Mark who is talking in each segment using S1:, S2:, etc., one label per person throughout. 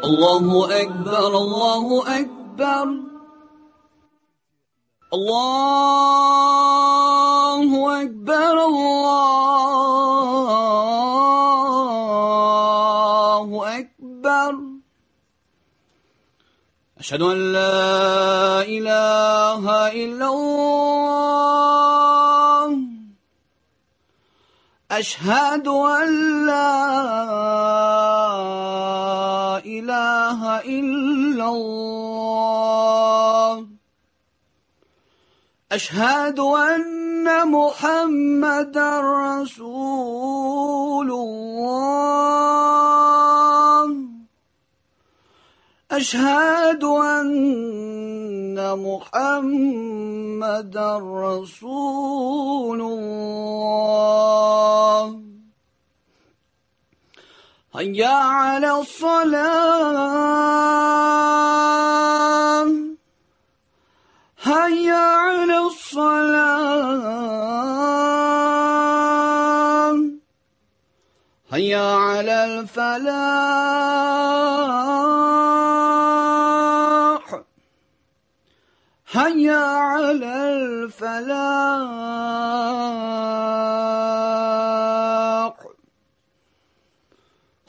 S1: الله أكبر الله أكبر الله أكبر الله أكبر أشهد أن لا إله إلا الله أشهد أن لا إله إلا الله أشهد أن محمدا رسول الله أشهد أن محمدا رسول الله هيا على الصلاة هيا على الصلاة هيا على الفلاح هيا على الفلاح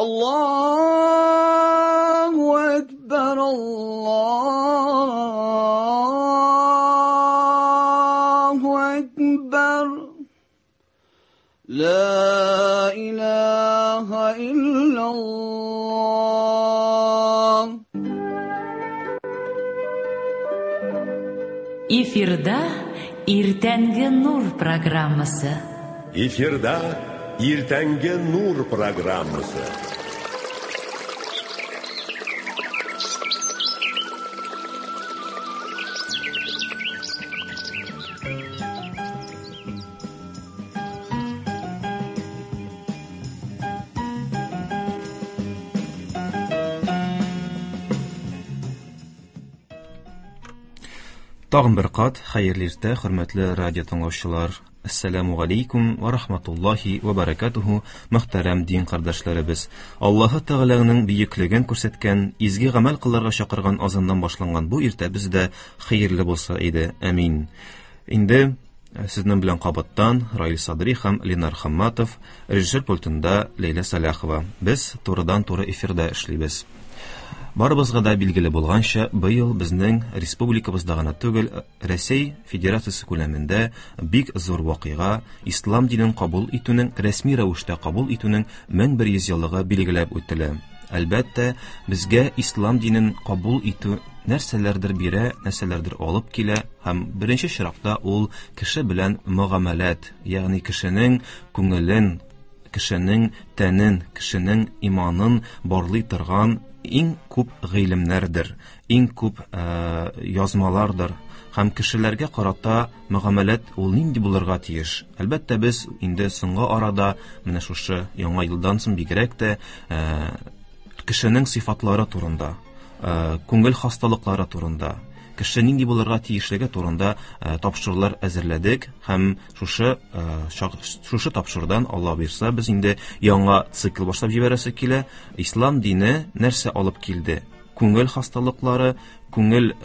S1: الله أكبر الله أكبر لا إله إلا الله.
S2: Эфирда Иртәнге нур программасы.
S3: Эфирда Иртәнге нур программасы.
S4: Тагын бер кат хәерле иртә, хөрмәтле радио тыңлаучылар. Ассаламу алейкум ва рахматуллахи ва баракатуху, мөхтәрәм дин кардәшләребез. Аллаһы Тәгаләнең бөеклеген күрсәткән, изге гамәл кылырга чакырган азаннан башланган бу иртә бездә хәерле булса иде. Амин. Инде сезнең белән кабаттан Раил Садри һәм Ленар Хамматов, режиссер пультында Ләйлә Саляхова. Без турыдан-туры эфирда эшлибез. Барыбызга да билгеле булганча, быел безнең республикабызда гына түгел, Рәсәй Федерациясе күләмендә бик зур вакыйга, ислам динен кабул итүнең, рәсми рәвештә кабул итүнең 1100 еллыгы билгеләп үтелә. Әлбәттә, безгә ислам динен кабул итү нәрсәләрдер бирә, нәрсәләрдер алып килә һәм беренче чиратта ул кеше белән мөгамәләт, ягъни кешенең күңелен, кешенең тәнен, кешенең иманын барлый торган иң күп гыйлемнәрдер, иң күп язмалардыр һәм кешеләргә карата мөгамәләт ул нинди булырга тиеш. Әлбәттә, без инде соңгы арада менә шушы яңа елдан соң бигрәк тә кешенең сыйфатлары турында, күңел хасталыклары турында, кеше нинди булырга тиешлеге турында тапшырулар әзерләдек һәм шушы шушы тапшырудан Алла бирса без инде яңа цикл башлап җибәрәсе килә. Ислам дине нәрсә алып килде? Күңел хасталыклары, күңел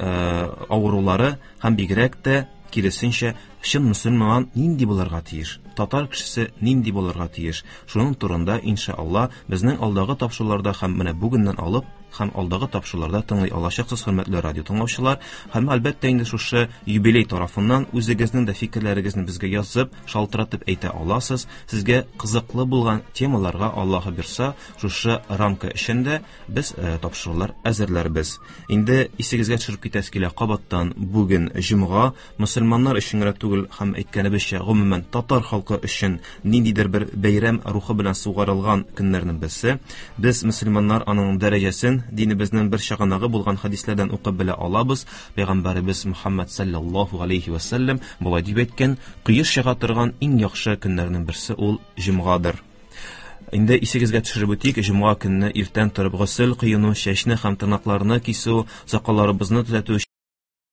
S4: авырулары һәм бигрәк тә киресенчә чын мөселман нинди булырга тиеш? Татар кешесе нинди булырга тиеш? Шуның турында иншалла безнең алдагы тапшыруларда һәм менә бүгеннән алып һәм алдагы тапшыруларда тыңлый алачаксыз, хөрмәтле радио тыңлаучылар. Һәм әлбәттә инде шушы юбилей тарафыннан үзегезнең дә фикерләрегезне безгә язып, шалтыратып әйтә аласыз. Сезгә кызыклы булган темаларга Аллаһы бирса, шушы рамка эчендә без тапшырулар әзерләрбез. Инде исегезгә төшереп китәсе килә, кабаттан бүген җомга, мөселманнар өчен генә түгел һәм әйткәнебезчә, гомумән татар халкы өчен ниндидер бер бәйрәм рухы белән сугарылган көннәрнең берсе. Без мөселманнар аның дәрәҗәсен динебезнең бер чыганагы булган хәдисләрдән укып белә алабыз. Пәйгамбәребез Мухаммад саллаллаһу алейхи ва саллям болай дип әйткән: "Кояш чыга торган иң яхшы көннәрнең берсе ул җомгадыр." Инде исегезгә төшереп үтик, җомга көнне иртән торып госел кыюну, чәчне һәм тырнакларны кисү, сакалларыбызны төзәтү,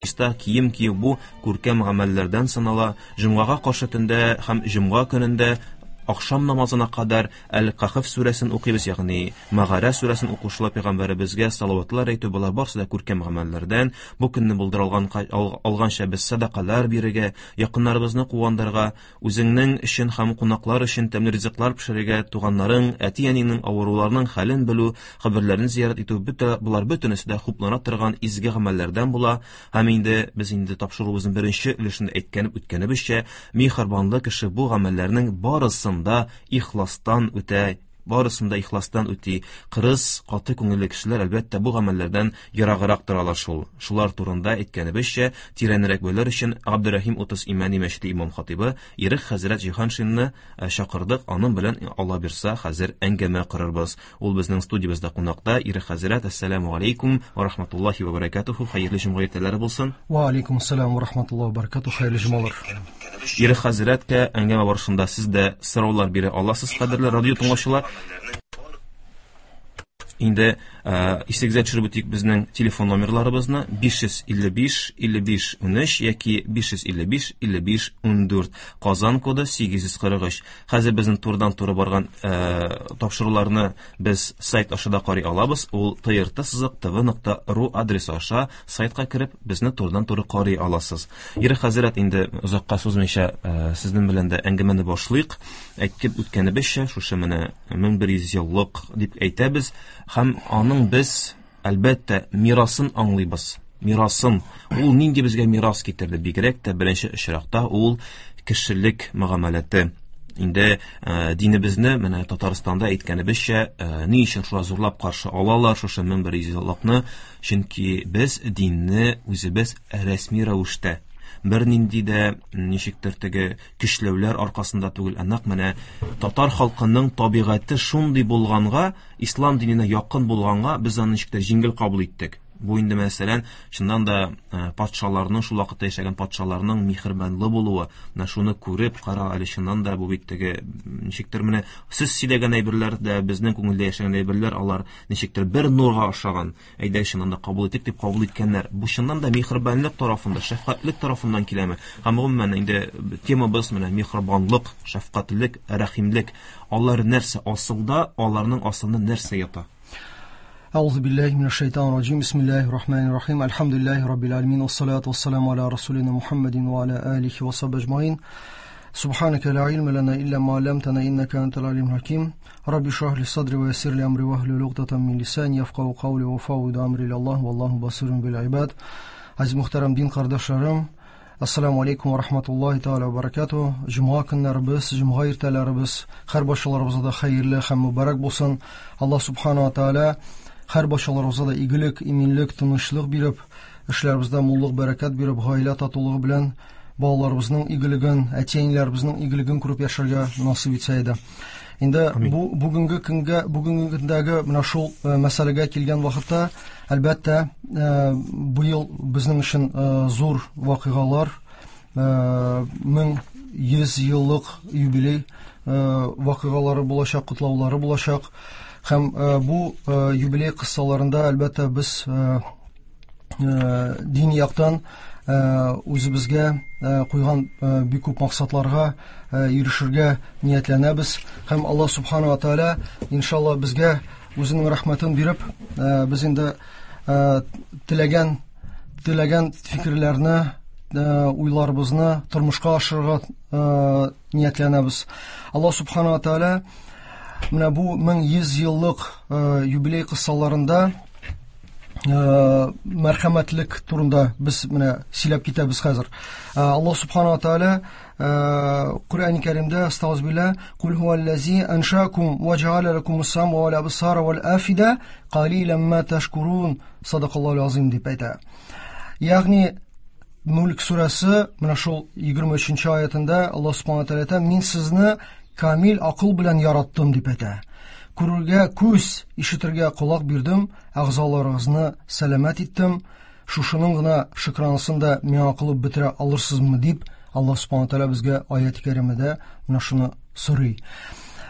S4: чиста кием кию бу күркәм гамәлләрдән санала. Җомгага каршы төндә һәм җомга көнендә Ахшам намазына кадәр Әл-Кахф сүрәсен укыйбыз, ягъни Мәгарә сүрәсен укучылар пәйгамбәребезгә салаватлар әйтү, болар барысы да күркәм гамәлләрдән. Бу көнне булдыра алган алганча без сәдакалар бирергә, якыннарыбызны куандырырга, үзеңнең өчен һәм кунаклар өчен тәмле ризыклар пешерергә, туганнарың, әти-әниңнең авыруларының хәлен белү, каберләрен зиярат итү, бөтә болар бөтенесе дә хуплана торган изге гамәлләрдән була. Һәм инде без инде тапшыруыбызның беренче өлешендә әйткән үткәнебезчә, миһербанлы кеше бу гамәлләрнең барысын да ихластан үтә, барысын да ихластан үти. Кырыс, каты күңелле кешеләр, әлбәттә, бу гамәлләрдән ераграк торалар шул. Шулар турында әйткәнебезчә, тирәнрәк белер өчен Габдерәхим 30 Имәни мәчете имам хатибы Ирек хәзрәт Җиһаншинны чакырдык. Аның белән, Алла бирса, хәзер әңгәмә корырбыз. Ул безнең студиябездә кунакта. Ирек хәзрәт, әссәламу алейкум ва рахматуллахи ва баракатуху. Хәерле җомга иртәләре булсын.
S5: Ва алейкум ассалам ва рахматуллахи ва баракатуху. Хәерле җомгалар.
S4: Ирек хәзрәткә әңгәмә барышында сез дә сораулар бирә аласыз, кадерле радио тыңлаучылар. Инде исегезгә төшереп үтик безнең телефон номерларыбызны: 555 55 13 яки 555 55 14, Казан коды 843. Хәзер безнең турыдан-туры барган тапшыруларны без сайт аша да карый алабыз. Ул trt-tv.ru адресы аша сайтка кереп, безне турыдан-туры карый аласыз. Ирек хәзрәт, инде озакка сузмыйча, сезнең белән дә әңгәмәне башлыйк. Әйтеп үткәнебезчә, шушы менә 1100 еллык дип әйтәбез һәм аның без, әлбәттә, мирасын аңлыйбыз. Мирасын. Ул нинди безгә мирас китерде? Бигрәк тә беренче очракта ул кешелек мөгамәләте. Инде динебезне менә Татарстанда әйткәнебезчә, ни өчен шулай зурлап каршы алалар шушы 1100 еллыкны? Чөнки без динне үзебез рәсми рәвештә, бернинди дә ничектер теге көчләүләр аркасында түгел, ә нәкъ менә татар халкының табигате шундый булганга, ислам диненә якын булганга, без аны ничектер җиңел кабул иттек. Бу инде, мәсәлән, чыннан да патшаларның, шул вакытта яшәгән патшаларның миһербанлы булуы, менә шуны күреп, кара әле, чыннан да бу бит теге ничектер менә сез сөйләгән әйберләр дә, безнең күңелдә яшәгән әйберләр, алар ничектер бер нурга охшаган. Әйдә, чыннан да кабул итик дип кабул иткәннәр. Бу чыннан да миһербанлык тарафында, шәфкатьлек тарафыннан киләме? Һәм гомумән инде темабыз менә миһербанлык, шәфкатьлек, рәхимлек. Алар нәрсә асылда, аларның асылында нәрсә ята?
S5: أعوذ بالله من الشيطان الرجيم بسم الله الرحمن الرحيم الحمد لله رب العالمين والصلاة والسلام على رسولنا محمد وعلى آله وصحبه أجمعين سبحانك لا علم لنا إلا ما علمتنا إنك أنت العليم الحكيم رب اشرح لي صدري ويسر لي أمري واحلل عقدة من لساني يفقهوا قولي وأفوض أمري إلى الله والله بصير بالعباد. Aziz muhterem din kardeşlerim, Assalamu aleykum ve rahmetullahi teala ve barakatuhu. Cuma günlerimiz, cuma ertelerimiz, her başlarımıza da hayırlı hem mübarek olsun. Allah subhanahu ve teala her başlarımıza da iyilik, iminlik, tınışlık berip, işlerimizde mulluk, bereket berip, gaile tatulluğu bilen balalarımızın iyiliğin, әти-әниләребезнең игелеген күреп яшәргә насыйп итсә иде. Инде бу бүгенге көнгә, бүгенге көндәге менә шул мәсьәләгә килгән вакытта, әлбәттә, быел безнең өчен зур вакыйгалар, 1100 еллык юбилей вакыйгалары булачак, котлаулары булачак. Һәм бу юбилей кыссаларында, әлбәттә, без дини яктан үзебезгә куйган бик күп максатларга ирешергә ниятләнәбез. Һәм Аллаһ субхана ва тааля иншалла безгә үзенең рәхмәтен биреп, без инде теләгән фикерләрне, уйларыбызны тормышка ашырырга ниятләнәбез. Аллаһ субхана ва тааля менә бу 1100 еллык юбилей кыссаларында мәрхәмәтлек турында без менә сөйләп китәбез хәзер. Аллаһ субхана ва тааля Куръан Кәримдә астагфирулла кул хуаллази аншакум ва җаала лакумус сама вал абсара вал афида қалилан ма ташкурун садакаллаху азим дип әйтә. Ягъни Мүлк сүрәсе менә шул 23 аятында Аллаһ субхана ва тааля әйтә: "Мин сезне камил акыл белән яраттым" дип әйтә. Күрергә күз, ишетергә колак бирдем, әгъзаларыгызны сәламәт иттем. Шушының гына шөкранысын да миңа кылып бетерә алырсызмы дип Аллаһ субхана ва тааля безгә аят-и кәримәдә менә шуны сорый.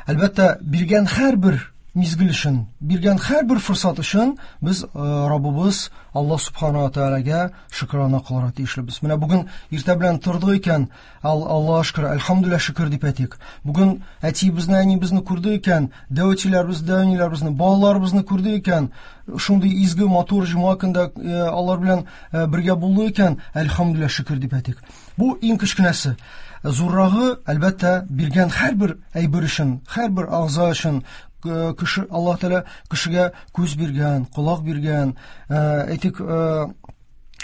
S5: Әлбәттә, биргән һәрбер мизгел өчен, биргән һәрбер форсат өчен без Раббыбыз Аллаһ субхана ва таалагә шөкрана кылырга тиешлебез. Менә бүген иртә белән тордык икән, Аллаһ шөкер, әлхәмдүлилләһ шөкер дип әйтик. Бүген әтиебезне, әниебезне күрдек икән, дәү әтиләребез, дәү әниләребезне, балаларыбызны күрдек икән, шундый изге, матур җомга көндә алар белән бергә булдык икән, әлхәмдүлилләһ шөкер дип әйтик. Бу иң кечкенәсе. Зуррагы, әлбәттә, биргән һәрбер әйбер өчен, һәрбер агза өчен, кеше Аллаһ Тәгалә кешегә күз биргән, колак биргән, әйтик,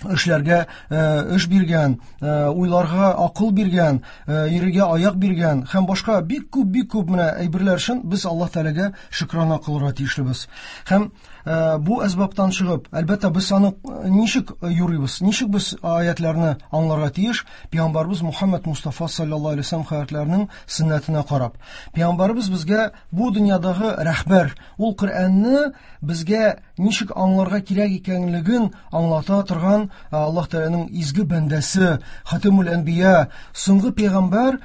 S5: эшләргә эш биргән, уйларга акыл биргән, йөрергә аяк биргән һәм башка бик күп, бик күп менә әйберләр өчен без Аллаһ Тәгаләгә шөкрана кылырга тиешлебез. Һәм бу әсбаптан чыгып, әлбәттә, без аны ничек юрыйбыз, ничек без аятларны аңларга тиеш? Пәйгамбәрбез Мухаммад Мустафа саллаллаһу алейһи ва саллям хәзрәтләренең сөннәтенә карап. Пәйгамбәрбез безгә бу дөньядагы рәһбәр, ул Коръәнне безгә ничек аңларга кирәк икәнлеген аңлата торган Аллаһ Тәгаләнең изге бәндәсе, Хатимул Әнбия, соңгы пәйгамбәр,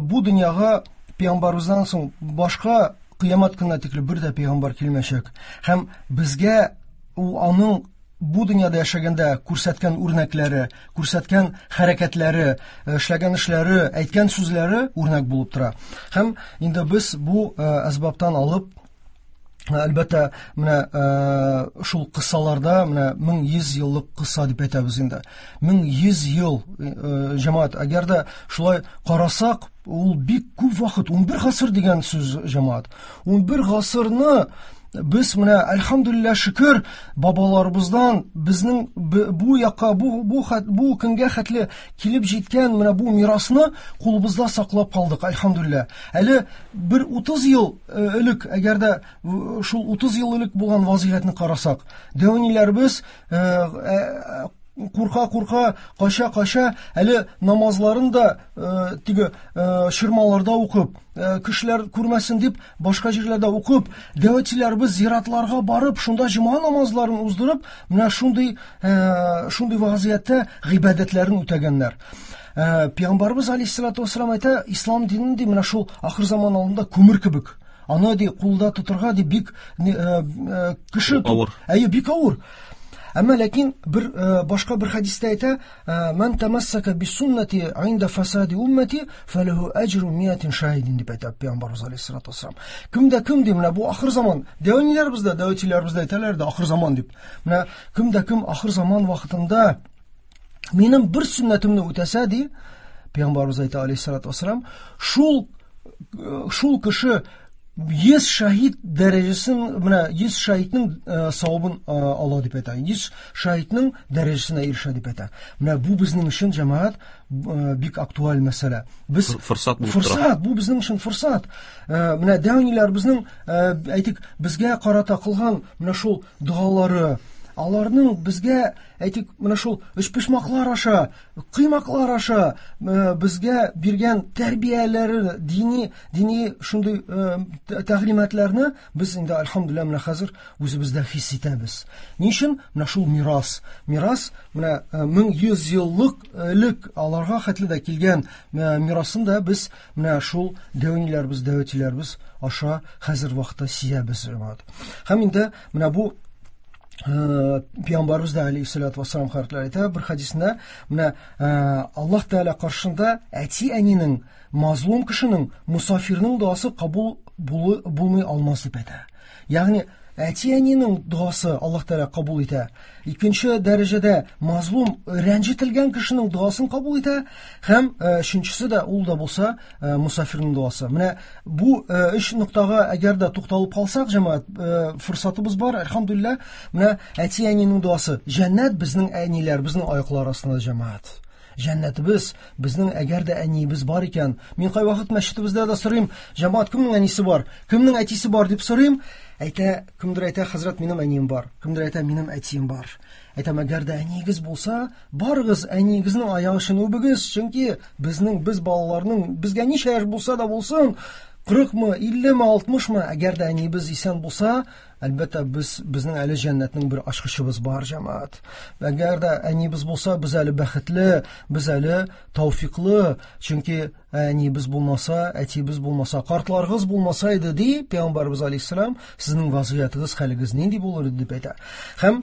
S5: бу дөньяга пәйгамбәребездән соң башка кыямәт көненә тикле бер дә пәйгамбәр килмәячәк. Һәм безгә ул аның бу дөньяда яшәгәндә күрсәткән үрнәкләре, күрсәткән хәрәкәтләре, эшләгән эшләре, әйткән сүзләре үрнәк булып тора. Һәм инде без бу әсбаптан алып, әлбәттә, менә шул кыссаларда, менә 1100 еллык кысса дип әйтәбез инде. 1100 ел, җәмәгать, әгәр дә шулай карасак, ул бик күп вакыт, 11 гасыр дигән сүз, җәмәгать. 11 гасырны без менә әлхәмдүлилләһ шөкер бабаларыбыздан безнең бу якка, бу көнгә хәтле килеп җиткән менә бу мирасны кулыбызда саклап калдык, әлхәмдүлилләһ. Әле бер 30 ел элек, әгәр дә шул 30 ел элек булган вазгыятьне карасак, дәүниләребез курка-курка, кача-кача, әле намазларын да теге ширмаларда укып, кешеләр күрмәсен дип башка җирләрдә укып, дәүәтчеләребез зиратларга барып, шунда җомга намазларын уздырып, менә шундый вазгыятьтә гыйбадәтләрен үтәгәннәр. Пәйгамбәребез алейһиссалату вассалам әйтә, ислам динен ди менә шул ахыр заман алдында күмер кебек. Аны ди кулда тотырга ди бик кеше
S4: авыр.
S5: Әйе, бик авыр. Әмма ләкин бер башка бер хәдистә әйтә, «Ман тамассака бисуннати инда фасади уммати фалаху аҗру миатин шаһидин» дип әйтә Пәйгамбәребез алейһиссалату вассалам. Кемдә кем ди, менә бу ахыр заман. Дәүниләребез дә, дәүәтчеләребез дә әйтәләр дә ахыр заман дип. Менә кемдә кем ахыр заман вакытында минем бер сөннәтемне үтәсә ди, Пәйгамбәребез әйтә алейһиссалату вассалам, шул кеше 100 шаһид дәрәҗәсен, менә 100 шаһидның савабын ала дип әйтә. 100 шаһидның дәрәҗәсенә ирешә дип әйтә. Менә бу безнең өчен, җәмәгать, бик актуаль мәсьәлә. Без
S4: форсат булып тора.
S5: Форсат, бу безнең өчен форсат. Менә дәүниләр безнең, әйтик, безгә карата кылган менә шул догалары, аларның безгә, әйтик, менә шул өчпочмаклар аша, кыймаклар аша безгә биргән тәрбияләре, дини шундый тәгълиматларны без инде альхамдулилла менә хәзер үзебездә хис итәбез. Ни өчен? Менә шул мирас. Мирас менә 1100 еллык элек аларга хәтле дә килгән мирасын да без менә шул дәүниләребез, дәүәтиләребез аша хәзер вакытта сизәбез, җәмәгать. Һәм инде менә бу Пәйгамбәребез дә алейһиссалату вассалам хәзрәтләре әйтә бер хәдисендә, менә Аллаһ Тәгалә каршында әти-әнинең, мазлум кешенең, мусафирның дуасы кабул булмый алмас дип әйтә. Ягъни әти-әнинең дуасы Аллаһ Тәгалә кабул итә. Икенче дәрәҗәдә мазлум, рәнҗетелгән кешенең дуасын кабул итә һәм өченчесе дә ул да булса мусафирның дуасы. Менә бу өч ноктага әгәр дә тукталып калсак, җәмәгать, форсатыбыз бар, әлхәмдүлилләһ. Менә әти-әнинең дуасы. Җәннәт безнең әниләр, безнең аяклар астында, җәмәгать. Җәннәтебез безнең, әгәр дә әниебез бар икән. Мин кайвакыт мәчетебездә дә сорыйм, җәмәгать, кемнең әнисе бар, кемнең әтисе бар дип сорыйм. Әйтә, кемдер әйтә, хәзрәт, минем әнием бар. Кемдер әйтә, минем әтием бар. Әйтәм, әгәр дә әниегез булса, барыгыз әниегезнең аягы өчен үбегез, чөнки без балаларның, безгә ничә яшь булса да булсын, 40мы, 50-ме, 60-мы, әгәр дә әниебез исән булса, әлбәттә, безнең әле җәннәтнең бер ачкычыбыз бар, җәмәгать. Әгәр дә әниебез булса, без әле бәхетле, без әле тәүфиклы, чөнки әниебез булмаса, әтиебез булмаса, картларыгыз булмаса иде, ди Пәйгамбәребез алейһиссалам, сезнең вазгыятыгыз, хәлегез нинди булыр иде дип әйтә. Һәм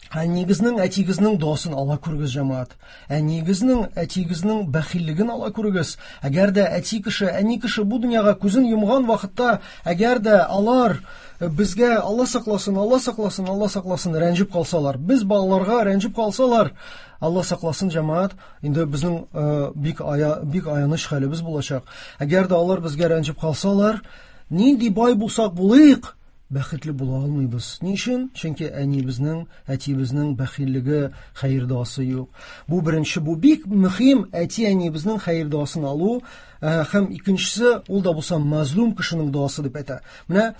S5: әниегезнең, әтиегезнең дуасын ала күрегез, җәмәгать. Әниегезнең, әтиегезнең бәхиллеген ала күрегез. Әгәр дә әти кеше, әни кеше бу дөньяга күзен йомган вакытта, әгәр дә алар безгә Алла сакласын, Алла сакласын, Алла сакласын рәнҗеп калсалар, без балаларга рәнҗеп калсалар, Алла сакласын, җәмәгать, инде безнең бик аяныч хәлебез булачак. Әгәр дә алар безгә рәнҗеп калсалар, нинди бай булсак булыйк, бәхетле була алмыйбыз. Ни өчен? Чөнки әниебезнең, әтиебезнең бәхиллеге, хәер дуасы юк. Бу беренче, бу бик мөһим, әти-әниебезнең хәер дуасын алу, һәм икенчесе, ул да булса мазлум кешенең дуасы дип әйтә. Менә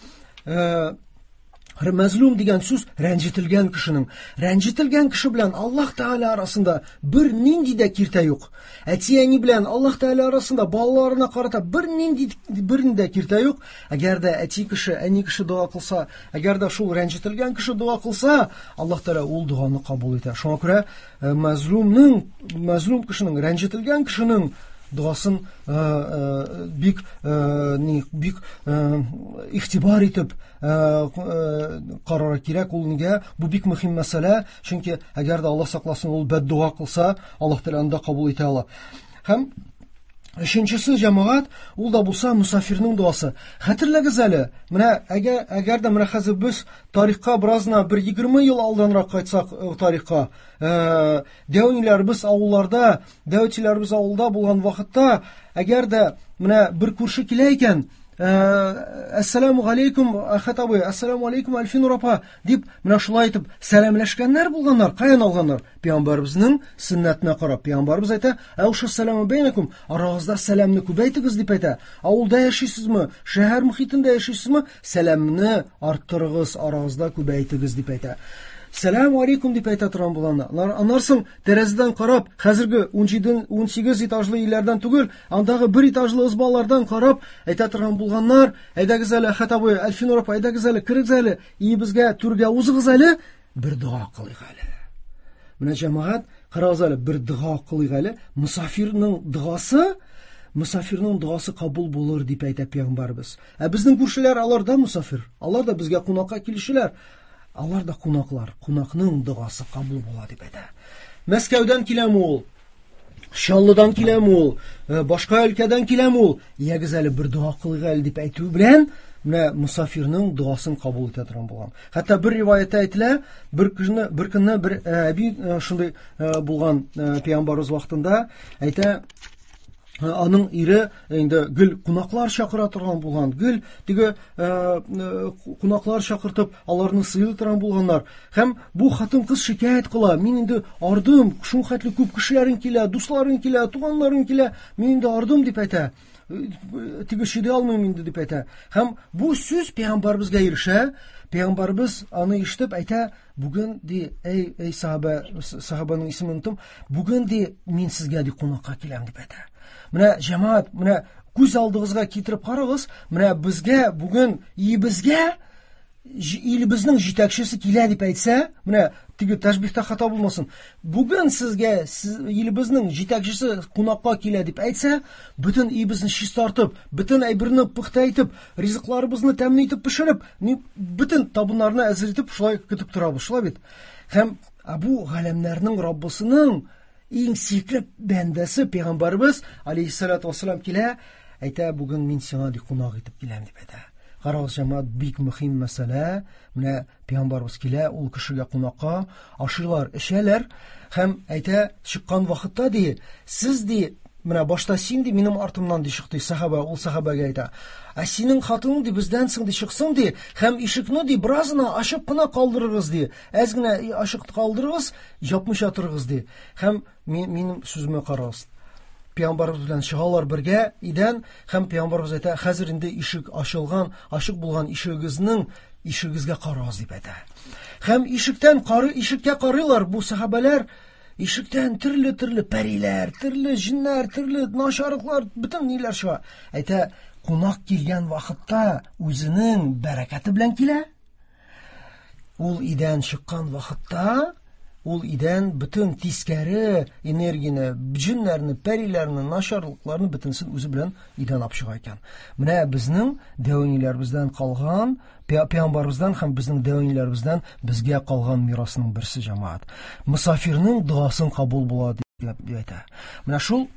S5: мәзлум дигән сүз рәнҗетелгән кешенең. Рәнҗетелгән кеше белән Аллаһ Тәгалә арасында бер нинди дә киртә юк. Әти-әни белән Аллаһ Тәгалә арасында балаларына карата бер нинди дә киртә юк. Әгәр дә әти кеше, әни кеше дога кылса, әгәр дә шул рәнҗетелгән кеше дога кылса, Аллаһ Тәгалә ул доганы кабул итә. Шуңа күрә мәзлум кешенең, рәнҗетелгән кешенең дуасын бик бик игътибар итеп карарга кирәк. Ул нигә? Бу бик мөһим мәсьәлә, чөнки әгәр дә Аллаһ сакласын, ул бәддуа кылса, Аллаһ Тәгалә аны да кабул итә ала. Һәм өченчесе, җәмәгать, ул да булса мусафирның дуасы. Хәтерләгез әле, менә әгәр дә менә хәзер без тарихка беразна бер 20 ел алданрак кайтсак тарихка, дәүниләребез авылларда, дәүтиләребез авылда булган вакытта, әгәр дә менә бер күрше килә икән, Әссәламу алейкум, Әхәт абый, әссәламу алейкум, Әлфинур апа, дип, менә шулай итеп сәламләшкәннәр булганнар. Каян алганнар? Пәйгамбәребезнең сөннәтенә карап. Пәйгамбәребез әйтә, Әүшә сәламу бәйнәкум, арагызда сәламне күбәйтегез дип әйтә. Авылда яшисезме, шәһәр мөхитендә яшисезме, сәламне арттырыгыз, арагызда күбәйтегез дип әйтә. Сәлам алейкум дип әйтә торган булганнар. Аннан соң тәрәзәдән карап, хәзерге 17-18 этажлы өйләрдән түгел, андагы бер этажлы ызбалардан карап әйтә торган булганнар, әйдәгез әле, Әхәт абый, Әлфинур апа, әйдәгез әле, керегез әле, өебезгә, түргә узыгыз әле, бер дога кылыйк әле. Менә җәмәгать, карагыз әле, бер дога кылыйк әле. Мусафирның догасы кабул булыр дип әйтә пәйгамбәребез. Ә безнең күршеләр, алар да мусафир, алар да безгә кунакка килүчеләр. Алар да кунаклар, кунакның догасы кабул була дип әйтә. Мәскәүдән киләме ул? Чаллыдан киләме ул? Башка өлкәдән киләме ул? Ягез әле бер дога кылыйк әле дип әйтү белән менә мусафирның догасын кабул итә торган булган. Хәтта бер риваятта әйтелә, бер көнне бер әби шундый булган пәйгамбәребез вакытында әйтә, аның ире инде гел кунаклар чакыра торган булган, гел теге кунаклар чакыртып, аларны сыйлый торган булганнар. Һәм бу хатын-кыз шикаять кыла, мин инде ардым, шул хәтле күп кешеләрең килә, дусларың килә, туганнарың килә, мин инде ардым дип әйтә. Теге чыдый алмыйм инде дип әйтә. Һәм бу сүз пәйгамбәребезгә ирешә. Пәйгамбәребез аны ишетеп әйтә, бүген ди, эй сахаба, сахабаның исемен оныттым, бүген ди, мин сезгә ди кунакка киләм дип әйтә. Менә җәмәгать, менә күз алдыгызга китереп карагыз, менә безгә бүген өебезгә илебезнең җитәкчесе килә дип әйтсә, менә теге тәшбиһтә хата булмасын. Бүген сезгә илебезнең җитәкчесе кунакка килә дип әйтсә, бөтен өебезне чистартып, бөтен әйберне пөхтә итеп, ризыкларыбызны тәмле итеп пешереп, бөтен табыннарны әзер итеп шулай көтеп торабыз, шулай бит. Һәм бу галәмнәрнең Раббысының иң сөекле бәндәсе пәйгамбәребез алейһиссалату вассалам килә, әйтә, бүген мин сиңа ди кунак итеп киләм дип әйтә. Карагыз, җәмәгать, бик мөһим мәсьәлә. Менә пәйгамбәребез килә, ул кешегә кунакка, ашыйлар, эчәләр һәм әйтә, чыккан вакытта ди, сез ди, менә башта син ди, минем артымнан ди чыкты сахаба, ул сахабага әйтә. Ә синең хатының ди бездән соң ди чыксын ди, һәм ишекне ди беразына ачып кына калдырыгыз ди. Әз генә ачык калдырыгыз, япмыйча торыгыз ди. Һәм минем сүземә карагыз. Пәйгамбәребез белән чыгалар бергә идән, һәм пәйгамбәребез әйтә, хәзер инде ишек ачылган, ачык булган ишегегезгә карагыз дип әйтә. Һәм ишеккә карыйлар бу сахабәләр, ишектән төрле-төрле пәриләр, төрле җиннәр, төрле начарлыклар, бөтен ниләр чыга. Әйтә, Кунак килгән вакытта үзенең бәрәкәте белән килә. Ул өйдән чыккан вакытта ул өйдән бөтен тискәре энергияне, җеннәрне, пәриләрне, начарлыкларны бөтенесен үзе белән өйдән алып чыга икән. Менә безнең дәү әниләребездән калган, пәйгамбәребездән һәм безнең дәү әниләребездән безгә калган мирасның берсе, җәмәгать. Мосафирның догасын кабул була дип әйтә. Менә шул.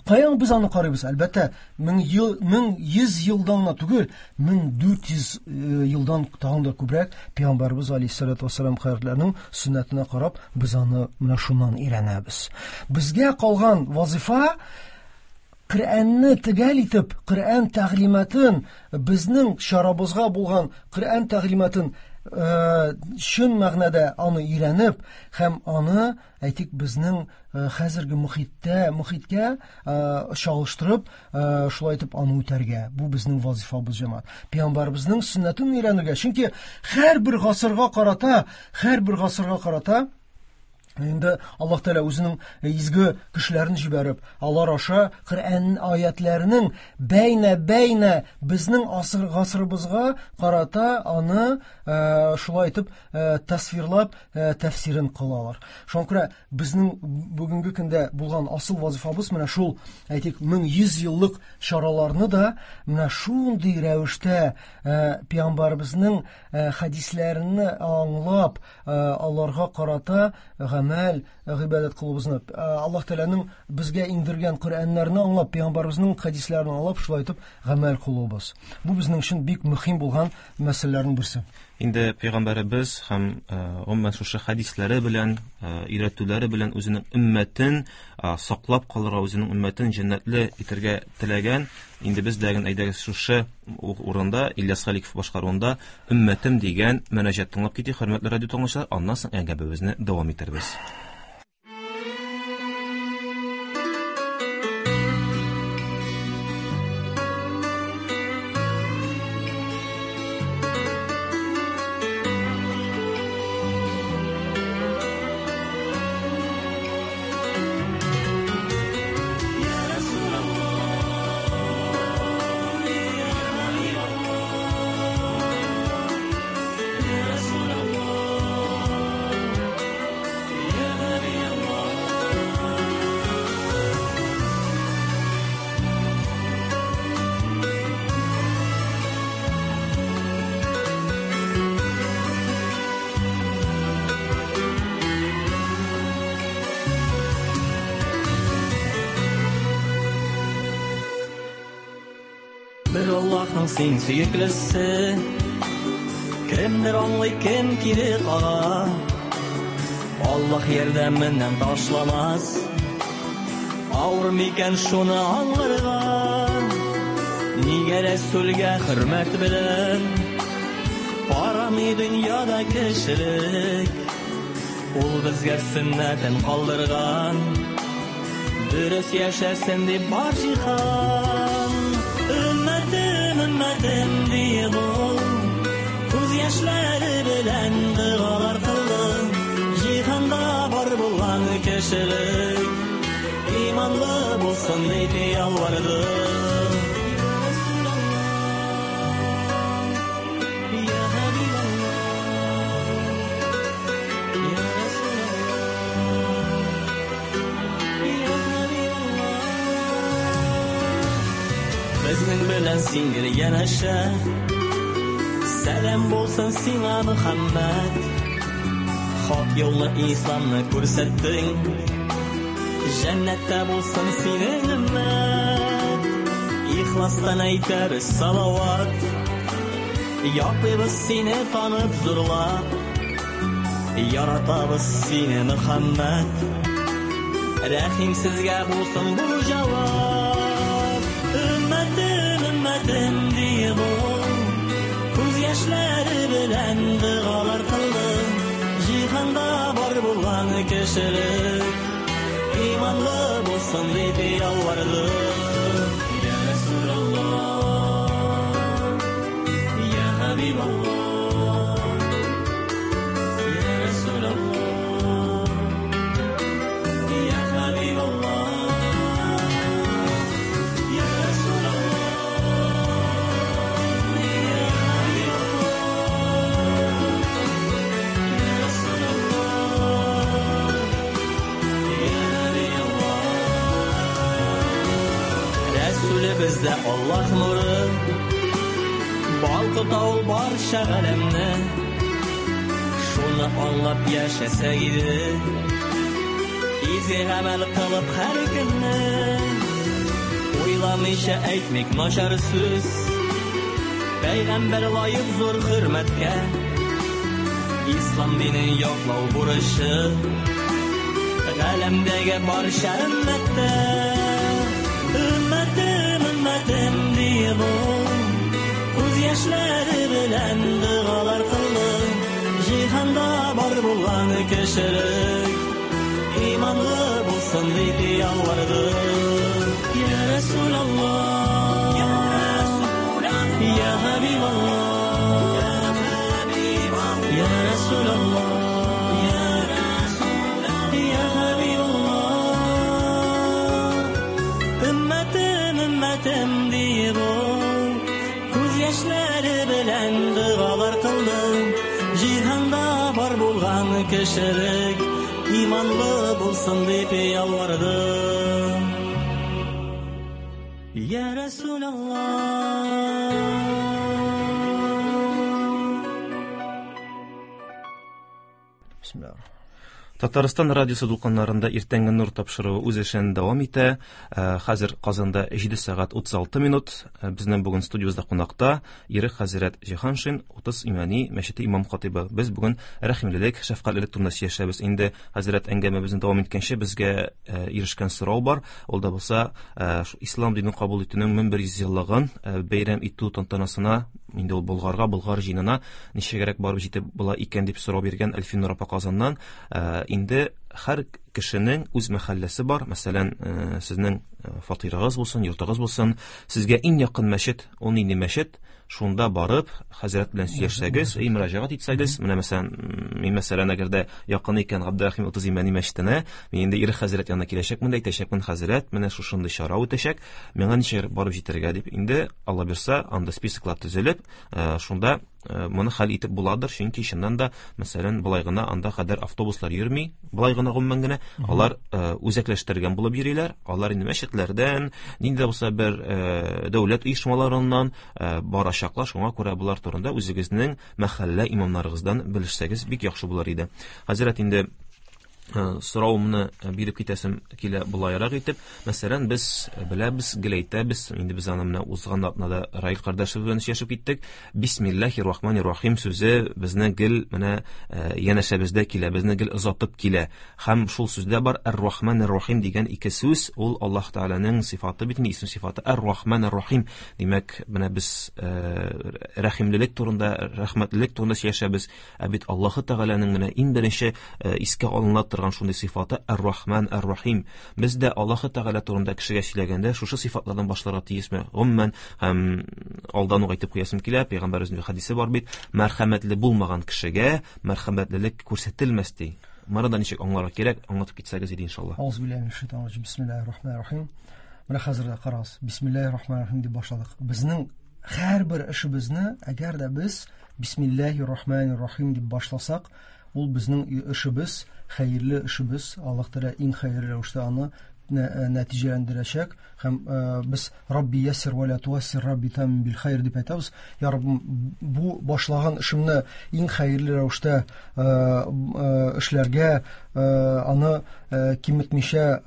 S5: Каян без аны карыйбыз? Әлбәттә, мең ел, 1100 елдан гына түгел, 1400 елдан тагын да күбрәк Пәйгамбәребез алейһиссалату вассалам хәзрәтләренең сөннәтенә карап, без аны менә шуннан өйрәнәбез. Безгә калган вазифа Коръәнне төгәл итеп, Коръән тәгълиматын, безнең чарабызга булган Коръән тәгълиматын чын мәгънәдә аны өйрәнеп һәм аны, әйтик, безнең хәзерге мохиткә чагыштырып, шулай итеп аны үтәргә. Бу безнең вазифабыз, җәмәгать. Пәйгамбәребезнең сөннәтен өйрәнергә. Чөнки һәрбер гасырга карата инде Аллаһ Тәгалә үзенең изге кешеләрен җибәреп, алар аша Коръән аятларының бәйнә-бәйнә безнең гасырыбызга карата аны шулай итеп тасвирлап, тәфсирен кылалар. Шуңа күрә безнең бүгенге көндә булган асыл вазифабыз менә шул, әйтик, 1100 еллык чараларны да менә шундый рәвештә пәйгамбәребезнең хәдисләрен аңлап, аларга карата гамәл, гыйбадәт кылуыбызны, Аллаһ Тәгаләнең безгә иңдергән Коръәннәрне аңлап, пәйгамбәребезнең хәдисләрен аңлап, шулай итеп гамәл кылуыбыз. Бу безнең өчен бик мөһим булган мәсьәләләрнең берсе.
S4: Инде пәйгамбәребез һәм гомумән шушы хәдисләре белән, өйрәтүләре белән үзенең өммәтен саклап калырга, үзенең өммәтен җәннәтле итәргә теләгән. Инде без дә әйдәгез шушы урында Ильяс Халиков башкаруында Өммәтем дигән мөнәҗәт тыңлап китик, хөрмәтле радио тыңлаучылар, аннан соң әңгәмәбезне дәвам итәрбез.
S6: Бер Аллаһның син сөеклесе, кемдер аңлый, кем кире кага. Аллаһ ярдәменнән ташламас, авыр микән шуны аңларга? Нигә Рәсүлгә хөрмәт белән карамый дөньяда кешелек? Ул безгә сөннәтен калдырган, дөрес яшәсен дип бар җиһан. Өммәтем, өммәтем диеп ул күз яшьләре белән догалар кылды. Җиһанда бар булган кешелек иманлы булсын дип ялварды. Я Хабибаллах, Я Расулаллах, Я Хабибаллах. Безнең белән син гел янәшә, сәлам булсын сиңа, Мөхәммәд. Хак юлны исламны күрсәттең, җәннәттә булсын синең өммәт. Ихластан әйтәбез салават, яклыйбыз сине танып зурлап, яратабыз сине, Мөхәммәд. Рәхим сезгә булсын бу җавап. Өммәтем, өммәтем диеп ул күз яшьләре белән догалар кылды. Җиһанда бар булган кешелек иманлы булсын дип ялварды. Я Расулаллах, Я Хабибаллах, Я Расулаллах, Я Хабибаллах, Я Расулаллах, Йөзебездә Аллаһ нуры, балкыта ул барча галәмне. Шуны аңлап яшәсәк иде, изге гамәл кылып һәр көнне. Уйламыйча әйтмик начар сүз, Пәйгамбәр лаек зур хөрмәткә. Ислам динен яклау бурычы галәмдәге барча өммәттә. Өммәтем, өммәтем диеп ул, күз яшьләре белән догалар кылды. Җиһанда бар булган кешелек иманлы булсын дип ялварды. Я Расулаллах, я Расулаллах, я Хабибаллах, я Расулаллах, я Расулаллах, я Хабибаллах. Өммәтем, өммәтем диеп ул, күз яшьләре белән догалар кылды. Җиһанда бар булган кешелек иманлы булсын дип ялварды. Я Расулаллах.
S5: Бисмиллаһ.
S4: Татарстан радиосы дулкыннарында иртәнге нур тапшыруы үз эшен дәвам итә. Хәзер Казанда 7 сәгать 36 минут. Безнең бүген студиябездә кунакта Ирек хәзрәт Җиһаншин, 30 Имәни мәчете имам хатибы. Без бүген рәхимлелек, шәфкатьлелек турында сөйләшәбез. Инде хәзрәт әңгәмәбезне дәвам иткәнче безгә ирешкән сорау бар. Ул да булса, ислам динен кабул итүнең 1100 еллыгын бәйрәм итү тантанасына, инде ул Болгарга, Болгар җыенына ничегрәк барып җитеп була икән дип сорау биргән Әлфинур апа Казаннан. Инде һәр кешенең үз мәхәлләсе бар. Мәсәлән, сезнең фатирыгыз булсын, йортыгыз булсын, сезгә иң якын мәчет, ул нинди мәчет, шунда барып хәзрәт белән сөйләшсәгез, мөрәҗәгать итсәгез, менә мәсәлән, мин мәсәлән, әгәр дә якын икән Габдерәхим 30 Имәни мәчетенә, мин инде Ирек хәзрәт янына киләчәкмен дә әйтәчәкмен, хәзрәт, менә шушындый чара үтәчәк, миңа ничек барып җитәргә дип. Инде Алла бирсә, анда списоклар төзелеп, шунда моны хәл итеп буладыр, чөнки чыннан да, мәсәлән, болай гына анда кадәр автобуслар йөрми, болай гына гомумән генә, алар үзәкләштергән булып йөриләр, алар инде мәчетләрдән, нинди дә булса бер дәүләт оешмаларыннан барачаклар, шуңа күрә болар турында үзегезнең мәхәллә имамнарыгыздан белешсәгез бик яхшы булыр иде. Хәзрәт, инде соравымны биреп китәсем килә болайрак итеп. Мәсәлән, без беләбез, гел әйтәбез, инде без аны менә узган атнада Раил кардәшебез белән сөйләшеп киттек. Бисмиллаһир рахманир рахим сүзе безне гел менә янәшәбездә килә, безне гел озатып килә. Һәм шул сүздә бар ар-рахманир рахим дигән ике сүз, ул Аллаһ Тәгаләнең сыйфаты бит, исем сыйфаты ар-рахманир рахим. Димәк, менә без рәхимлелек турында, рәхмәтлелек турында сөйләшәбез. Ә бит Аллаһ Тәгаләнең менә иң беренче искә алына торган шундый сыйфаты ар-рахман ар-рахим. Без дә Аллаһ Тәгалә турында кешегә сөйләгәндә шушы сыйфатлардан башларга тиешме? Гомумән, һәм алдан ук әйтеп куясым килә, пәйгамбәребезнең хәдисе бар бит, мәрхәмәтле булмаган кешегә мәрхәмәтлелек күрсәтелмәс ди. Моны да ничек аңларга кирәк, аңлатып китсәгез иде иншалла.
S5: Аузу биллаһи минәш шайтанир раҗим. Бисмиллаһир рахманир рахим. Менә хәзер дә карагыз. Бисмиллаһир рахманир рахим дип башладык. Безнең һәрбер эшебезне, әгәр дә без Бисмиллаһир рахманир рахим дип башласак, ул безнең эшебез, хәерле эшебез, Аллаһ Тәгалә иң хәерле рәвештә аны нәтиҗәләндерәчәк. Һәм без Рабби яссир ва ла туассир, Рабби тамим бил хайр дип әйтәбез. Я Раббым, бу башлаган эшемне иң хәерле рәвештә эшләргә, аны киметмичә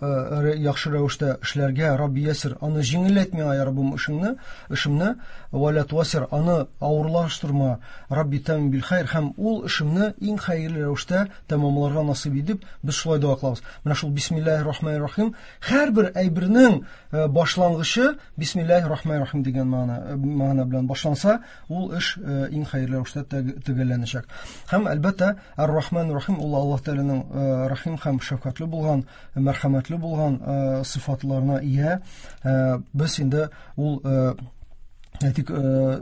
S5: яхшы рәвештә эшләргә, Рабби яссир, аны җиңелләт миңа, я Раббым, эшемне, ва ла туассир, аны авырлаштырма, Рабби тамим бил хайр, һәм ул эшемне иң хәерле рәвештә тәмамларга насыйп итеп, без шулай дога кылабыз. Менә шул бисмиллаһир рахманир рахим, һәрбер әйбернең башлангычы бисмиллаһир рахманир рахим дигән мәгънә белән башланса, ул эш иң хәерле рәвештә төгәлләнәчәк. Һәм әлбәттә, ар-рахман рахим ул Аллаһ Тәгаләнең рахим һәм шәфкатьле булган, мәрхәмәтле булган сыйфатларына ия. Без инде ул әйтик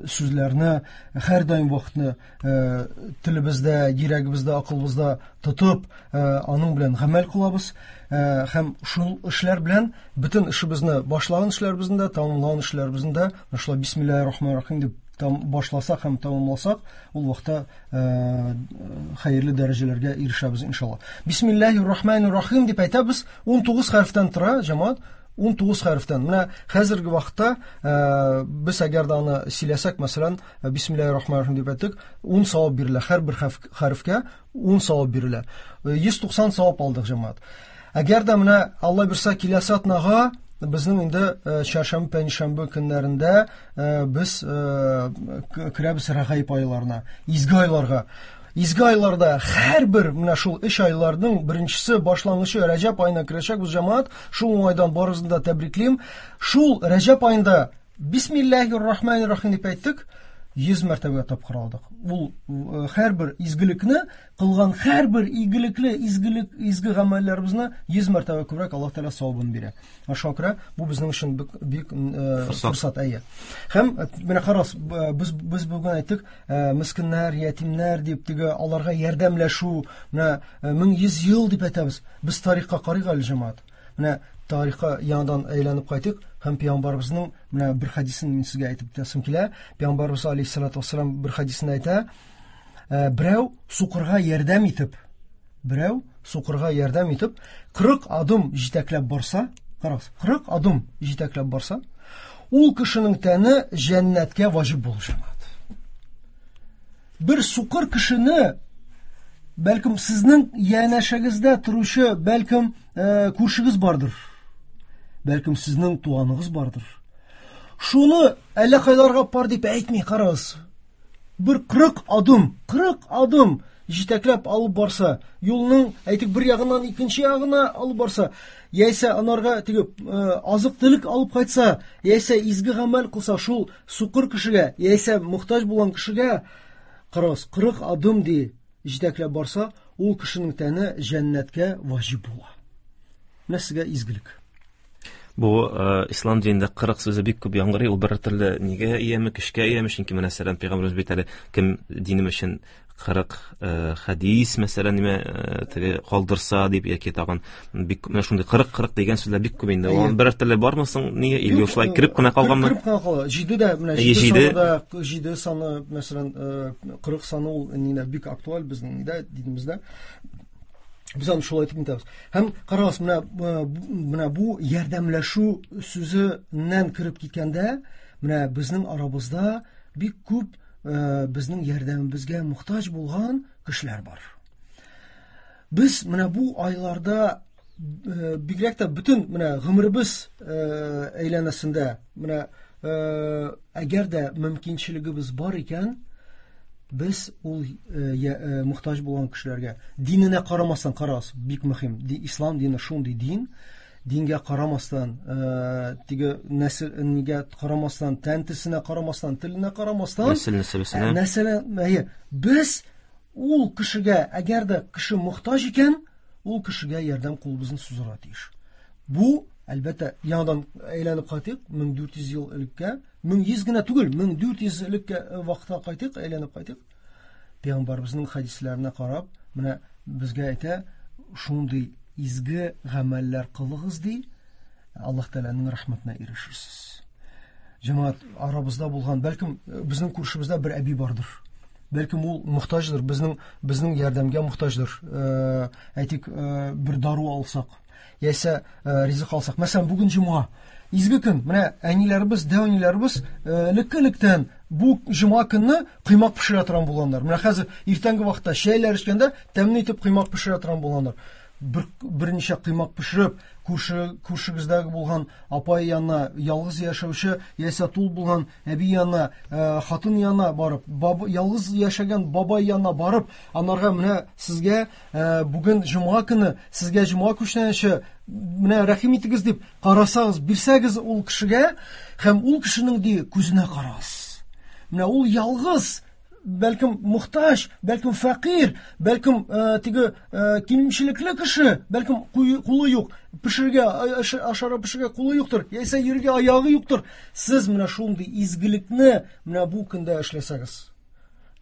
S5: сүзләрне һәрдаим вакытны телебездә, йөрәгебездә, акылыбызда тотып, аның белән гамәл кылабыз. Һәм шул эшләр белән бөтен эшебезне, башлаган эшләребезне дә, тәмамлаган эшләребезне дә шулай бисмиллаһир рахманир рахим дип башласак һәм тәмамласак, ул вакытта хәерле дәрәҗәләргә ирешәбез иншалла. Бисмиллаһир рахманир рахим дип әйтәбез, 19 хәрефтән тора, җәмәгать. 19 хәрефтән. Менә хәзерге вакытта без әгәр дә аны сөйләсәк, мәсәлән, Бисмиллаһир рахманир рахим дип әйттек, 10 савап бирелә. Һәрбер хәрефкә 10 савап бирелә. 190 савап алдык, җәмәгать. Әгәр дә менә Алла бирсә киләсе атнага безнең инде чәршәмбе, пәнҗешәмбе көннәрендә без керәбез Рәгаиб айларына, изге айларга. Изге айларда һәрбер менә шул өч айларның беренчесе башлангычы Рәҗәб аена керәчәкбез, җәмәгать. Шул уңайдан барыгызны да тәбриклим. Шул Рәҗәб аенда Бисмиллаһир рахманир рахим дип әйттек, 100 мәртәбә тапкыр алдык. Ул һәрбер изгелекне кылган һәрбер игелекле изгелек изге гамәлләребезне 100 мәртәбә күбрәк Аллаһ Тәгалә савабын бирә. Шуңа күрә бу безнең өчен бик форсат, әйе. Һәм менә карагыз, без бүген әйттек, мескеннәр, ятимнәр дип теге аларга ярдәмләшү, менә 1100 ел дип әйтәбез. Без тарихка карыйк әле, җәмәгать. Менә тарихка яңадан әйләнеп кайтыйк һәм пәйгамбәребезнең менә бер хәдисен мин сезгә әйтеп үтәсем килә. Пәйгамбәребез алейһиссалату вассалам бер хәдисендә әйтә, берәү сукырга ярдәм итеп, берәү сукырга ярдәм итеп 40 адым җитәкләп барса, карагыз, 40 адым җитәкләп барса, ул кешенең тәне җәннәткә ваҗиб булыр, җәмәгать. Бер сукыр кешене, бәлкем сезнең янәшәгездә торучы, бәлкем күршегез бардыр, бәлкем сезнең туганыгыз бардыр. Шуны әллә кайларга бар дип әйтми, карагыз. Бер 40 адым, 40 адым җитәкләп алып барса, юлның әйтик бер ягыннан икенче ягына алып барса, яисә анарга теге азык-төлек алып кайтса, яисә изге гамәл кылса, шул сукыр кешегә, яисә мохтаҗ булган кешегә, карагыз, 40 адым ди җитәкләп барса, ул кешенең тәне җәннәткә ваҗиб була. Менә сезгә изгелек.
S4: Бу ислам динендә 40 сүзе бик күп яңгырый, ул бер төрле нигә ияме, көчкә ияме, чөнки менә мәсәлән пәйгамбәребез бит әле кем динем өчен 40 хәдис мәсәлән ниме теге калдырса дип яки тагын бик менә шундый 40 дигән сүзләр бик күп инде. Ул бер төрле бармы соң нигә или шулай кереп кенә калганмы?
S5: Кереп кенә кала. 7 дә менә 7 саны да 7 саны мәсәлән 40 саны ул нидә бик актуаль безнең нидә динебездә. Без аны шулай итеп әйтәбез. Һәм карагыз, менә бу ярдәмләшү сүзеннән кереп киткәндә, менә безнең арабызда бик күп безнең ярдәмебезгә мохтаҗ булган кешеләр бар. Без менә бу айларда бигрәк тә бөтен менә гомеребез әйләнәсендә, менә әгәр дә мөмкинчелегебез бар икән, без ул мохтаҗ булган кешеләргә диненә карамастан, карагыз, бик мөһим, ислам дине шундый дин, дингә карамастан, теге нәсел нигә карамастан, тән төсенә карамастан, теленә карамастан,
S4: нәсел нәсәбесенә,
S5: нәсел, әйе, без ул кешегә, әгәр дә кеше мохтаҗ икән, ул кешегә ярдәм кулыбызны сузарга тиеш. Бу, әлбәттә, яңадан әйләнеп кайтыйк, 1400 ел элеккә, 1100 генә түгел, 1400 элеккә вакытка кайтыйк, әйләнеп кайтыйк. Пәйгамбәребезнең хәдисләренә карап, менә безгә әйтә, шундый изге гамәлләр кылыгыз ди, Аллаһ Тәгаләнең рәхмәтенә ирешерсез. Җәмәгать, арабызда булган, бәлкем безнең күршебездә бер әби бардыр. Бәлкем ул мохтаҗдыр, безнең ярдәмгә мохтаҗдыр. Әйтик, бер дару алсак, яисә ризык алсак. Мәсәлән, бүген җомга. Изге көн. Менә әниләребез, дәү әниләребез элекке-электән бу җомга көнне коймак пешерә торган булганнар. Менә хәзер иртәнге вакытта чәйләр эчкәндә тәмле итеп коймак пешерә торган булганнар. Берничә коймак пешереп, күршегездәге булган апай янына, ялгыз яшәүче яисә тул булган әби янына, хатын янына барып, ялгыз яшәгән бабай янына барып, анарга менә сезгә бүген җомга көне, сезгә җомга күчтәнәче, менә рәхим итегез дип карасагыз, бирсәгез ул кешегә, һәм ул кешенең ди күзенә карагыз. Менә ул ялгыз, бәлкем мохтаҗ, бәлкем фәкыйрь, бәлкем теге кимчелекле кеше, бәлкем кулы юк, пешергә, ашарга пешергә кулы юктыр, яисә йөрергә аягы юктыр. Сез менә шундый изгелекне менә бу көндә эшләсәгез,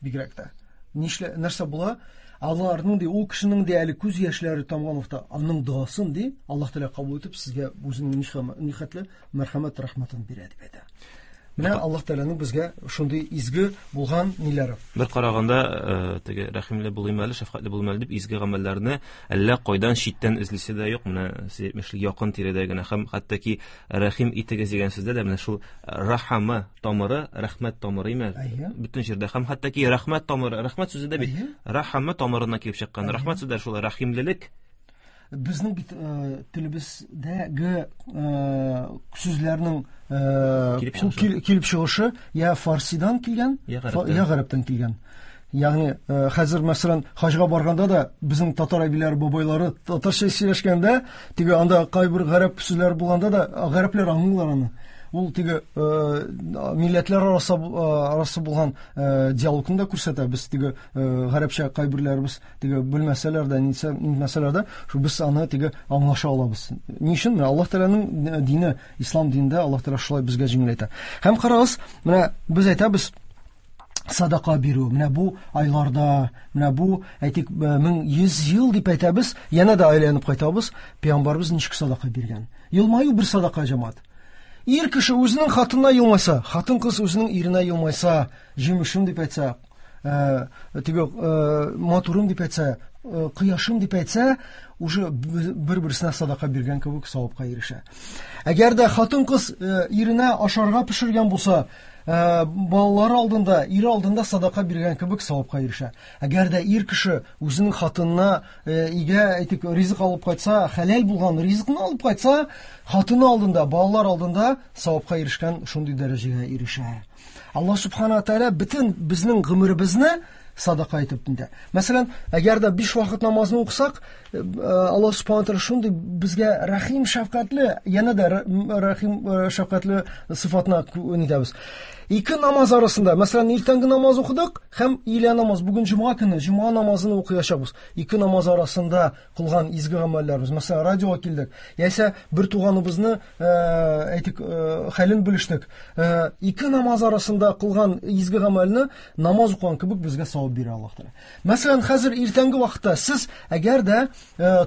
S5: бигрәк тә. Нәрсә була? Аларның ди, ул кешенең ди әле күз яшьләре тамган вакытта, аның догасын ди, Аллаһ Тәгалә кабул итеп, сезгә үзенең нихәтле мәрхәмәт, рәхмәтен бирә дип әйтә. Менә Аллаһ Тәгаләнең безгә шундый изге булган ниләре.
S4: Бер караганда, теге рәхимле булыйм әле, шәфкатьле булыйм әле дип изге гамәлләрне әллә кайдан читтән эзлисе дә юк. Менә сез әйтмешли якын тирәдә генә һәм хәтта ки рәхим итегез дигән сүздә дә менә шул рахама тамыры, рәхмәт тамыры име? Бөтен җирдә һәм хәтта ки рәхмәт тамыры, рәхмәт сүзе дә бит рахама тамырыннан килеп чыккан. Рәхмәт сүзе дә шул рәхимлелек.
S5: Безнең бит телебездәге сүзләрнең килеп чыгышы я фарсидан килгән, я гарәптән килгән. Ягъни хәзер мәсәлән хаҗга барганда да безнең татар әбиләре, бабайлары татарча сөйләшкәндә, теге анда кайбер гарәп сүзләре булганда да гарәпләр аңлыйлар аны. Ул теге милләтләр арасы булган диалогны да күрсәтә. Без теге гарәпчә кайберләребез теге белмәсәләр дә, нитмәсәләр дә, шул без аны теге аңлаша алабыз. Ни өчен? Менә Аллаһ Тәгаләнең дине, ислам динендә Аллаһ Тәгалә шулай безгә җиңеләйтә. Һәм карагыз, менә без әйтәбез садака бирү, менә бу айларда, менә бу, әйтик, 1100 ел дип әйтәбез, янә дә әйләнеп кайтабыз, пәйгамбәребез ничек садака биргән? Елмаю бер садака, җәмәгать. Ир кеше үзенең хатынына елмайса, хатын-кыз үзенең иренә елмайса, җимешем дип әйтсә, теге матурым дип әйтсә, кояшым дип әйтсә, уже бер-берсенә садака биргән кебек савапка ирешә. Әгәр дә хатын-кыз иренә ашарга пешергән булса, балалары алдында, ире алдында садака биргән кебек савапка ирешә. Әгәр дә ир кеше үзенең хатынына өйгә, әйтик, ризык алып кайтса, хәләл булган ризыкны алып кайтса, хатыны алдында, балалар алдында савапка ирешкән шундый дәрәҗәгә ирешә. Аллаһ субхана ва тааля бөтен безнең гомеребезне садака итеп инде. Мәсәлән, әгәр дә 5 вакыт намазны укысак, Аллаһ субхана ва тааля шундый безгә рәхим, шәфкатьле, янә дә рәхим, шәфкатьле сыйфатына нитәбез. Ике намаз арасында, мәсәлән, иртәнге намаз укыдык һәм өйлә намаз, бүген җомга көне, җомга намазын укыячакбыз. Ике намаз арасында кылган изге гамәлләребез, мәсәлән, радиога килдек, яисә бер туганыбызны, әйтик, хәлен белештек. Ике намаз арасында кылган изге гамәлне намаз укыган кебек безгә савап бирә Аллаһ Тәгалә. Мәсәлән, хәзер иртәнге вакытта сез әгәр дә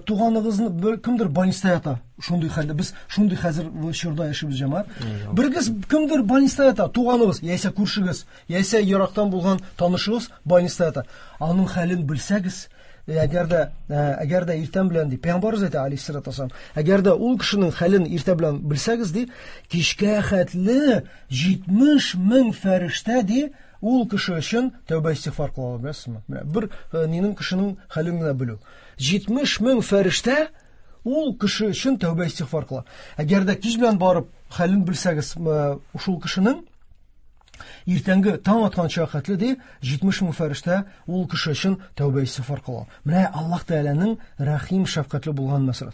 S5: туганыгызны бер кемдер больниста ята, шундый хәлдә без шундый хәзер чорда яшибез, җәмәгать. Бергез кемдер больниста ята, туганыгыз, яисә күршегез, яисә ерактан булган танышыгыз больниста ята. Аның хәлен белсәгез, әгәр дә, әгәр дә иртән белән ди, пәйгамбәребез әйтә, алейһиссалату вассалам, әгәр дә ул кешенең хәлен иртә белән белсәгез ди, кичкә хәтле 70 мең фәрештә ди, ул кеше өчен тәүбә истигъфар кыла ала, беләсезме? Менә бер нинең кешенең хәлен генә белү. 70 мең фәрештә ул кеше өчен тәүбә истигъфар кыла. Әгәр дә кич белән барып хәлен белсәгез, шул кешенең иртәнге таң атканча хәтле ди, 70 мең фәрештә ул кеше өчен тәүбә истигъфар кыла. Менә Аллаһ Тәгаләнең рәхим, шәфкатьле булган мәсьәләсе.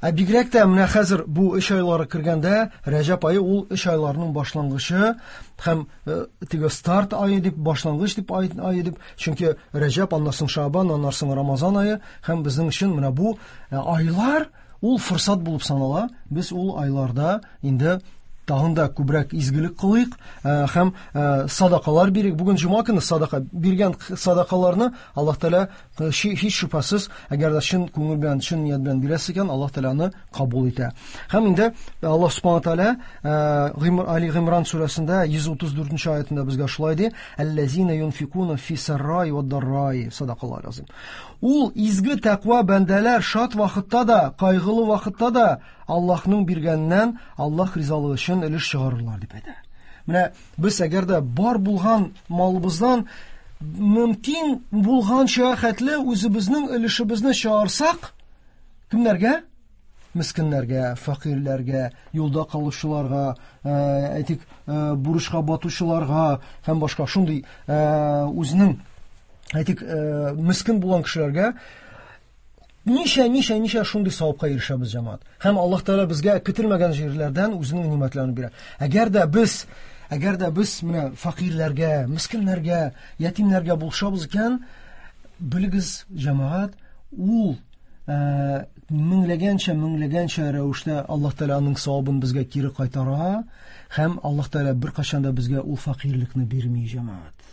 S5: Ә бигрәк тә менә хәзер бу 3 айлары кергәндә, Рәҗәб ае ул 3 айларның башлангычы һәм теге старт ае дип, башлангыч дип ае дип, чөнки Рәҗәб, аннан соң Шабан, аннан соң Рамазан ае һәм безнең өчен менә бу айлар ул форсат булып санала. Без ул айларда инде тагын да күбрәк изгелек кылыйк һәм садакалар бирик. Бүген җомга көне садака биргән садакаларны Аллаһ Тәгалә һич шөбһәсез, әгәр дә чын күңел белән, чын ният белән бирәсез икән, Аллаһ Тәгалә аны кабул итә. Һәм инде Аллаһ Субхану Тәгалә Али Гыймран сүрәсендә 134 аятында безгә шулай ди: Әлләзина юнфикуна фи саррай ва даррай. Садакаллаһу азим. Ул изге тәкъва бәндәләр шат вакытта да, кайгылы вакытта да Аллаһның биргәненнән Аллаһ ризалыгы өчен өлеш чыгарырлар дип әйтә. Менә без әгәр дә бар булган малыбыздан мөмкин булганча хәтле үзебезнең өлешебезне чыгарсак, кемнәргә? Мескеннәргә, фәкыйрьләргә, юлда калучыларга, әйтик, бурычка батучыларга һәм башка шундый үзенең, әйтик, мискен булган кешеләргә ничә, ничә, ничә шундый савапка ирешәбез, җәмәгать. Һәм Аллаһ Тәгалә безгә көтелмәгән җирләрдән үзенең нимәтләрен бирә. Әгәр дә без, әгәр дә без менә фәкыйрьләргә, мескеннәргә, ятимнәргә булышабыз икән, белегез, җәмәгать, ул меңләгәнчә, меңләгәнчә рәвештә Аллаһ Тәгалә аның савабын безгә кире кайтара һәм Аллаһ Тәгалә беркайчан да безгә ул фәкыйрьлекне бирми, җәмәгать.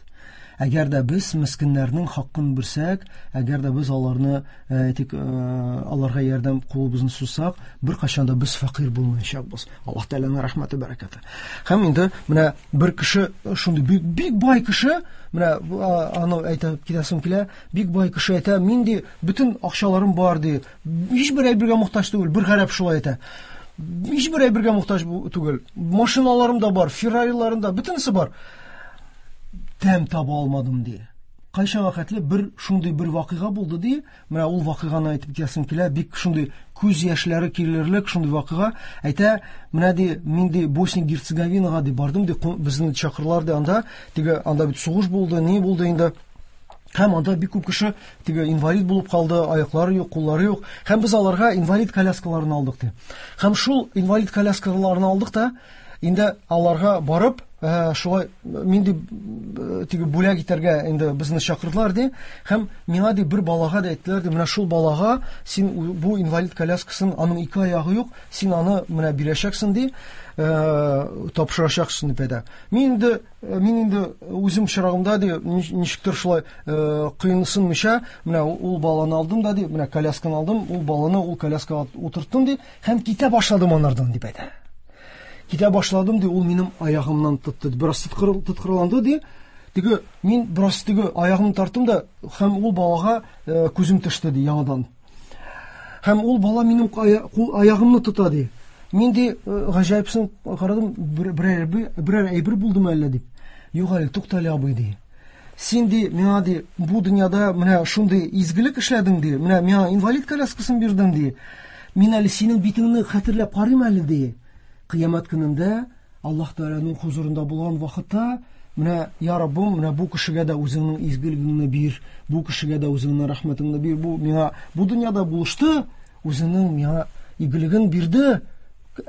S5: Әгәр дә без мескеннәрнең хакын бирсәк, әгәр дә без аларны әйтик, аларга ярдәм кулыбызны сузсак, беркайчан да без фәкыйрь булмаячакбыз. Аллаһ Тәгаләнең рәхмәте, бәрәкәте. Һәм инде менә бер кеше шундый бик, бик бай кеше, менә аны әйтеп китәсем килә, бик бай кеше әйтә, мин ди, бөтен акчаларым бар ди, һичбер әйбергә мохтаҗ түгел, бер гарәп шулай әйтә. Һичбер әйбергә мохтаҗ түгел. Машиналарым да бар, Феррариларым да, бөтенесе бар. Тәм таба алмадым ди. Кайчанга хәтле бер шундый бер вакыйга булды ди. Менә ул вакыйганы әйтеп китәсем килә, бик шундый күз яшьләре килерлек шундый вакыйга. Әйтә, менә ди, мин ди Босния Герцеговинага ди бардым ди, безне чакырдылар ди анда. Теге анда бит сугыш булды, ни булды инде. Һәм анда бик күп кеше теге инвалид булып калды, аяклары юк, куллары юк. Һәм без аларга инвалид коляскаларын алдык ди. Һәм шул инвалид коляскаларын алдык та, инде аларга барып, шулай мин ди, теге бүләк итәргә инде безне чакырдылар ди. Һәм миңа ди бер балага да әйттеләр ди, менә шул балага син бу инвалид коляскасын, аның ике аягы юк, син аны менә бирәчәксең ди, тапшырачаксың дип әйтә. Мин инде үзем чырагымда ди, ничектер шулай кыенсынмыйча, менә ул баланы алдым да ди, менә колясканы алдым, ул баланы ул коляскага утырттым ди, һәм китә башладым анардан дип әйтә. Китә башладым ди, ул минем аягымнан тотты, бераз тоткарланды ди. Теге мин бераз теге аягымны тарттым да, һәм ул балага күзем төште ди яңадан. Һәм ул бала минем аягымны тота ди. Мин ди гаҗәпсен карадым, берәр әйбер булдымы әллә дип. Юк әле, тукта әле абый ди. Син ди, миңа ди, бу дөньяда менә шундый изгелек эшләдең ди, менә миңа инвалид коляскасын бирдең ди. Мин әле синең битеңне хәтерләп карыйм әле ди. Кыямәт көнендә Аллаһ Тәгаләнең хузурында булган вакытта, менә я Раббым, менә бу кешегә дә үзеңнең изгелегеңне бир, бу кешегә дә үзеңнең рәхмәтеңне бир, бу миңа бу дөньяда булышты, үзеңнең миңа игелеген бирде.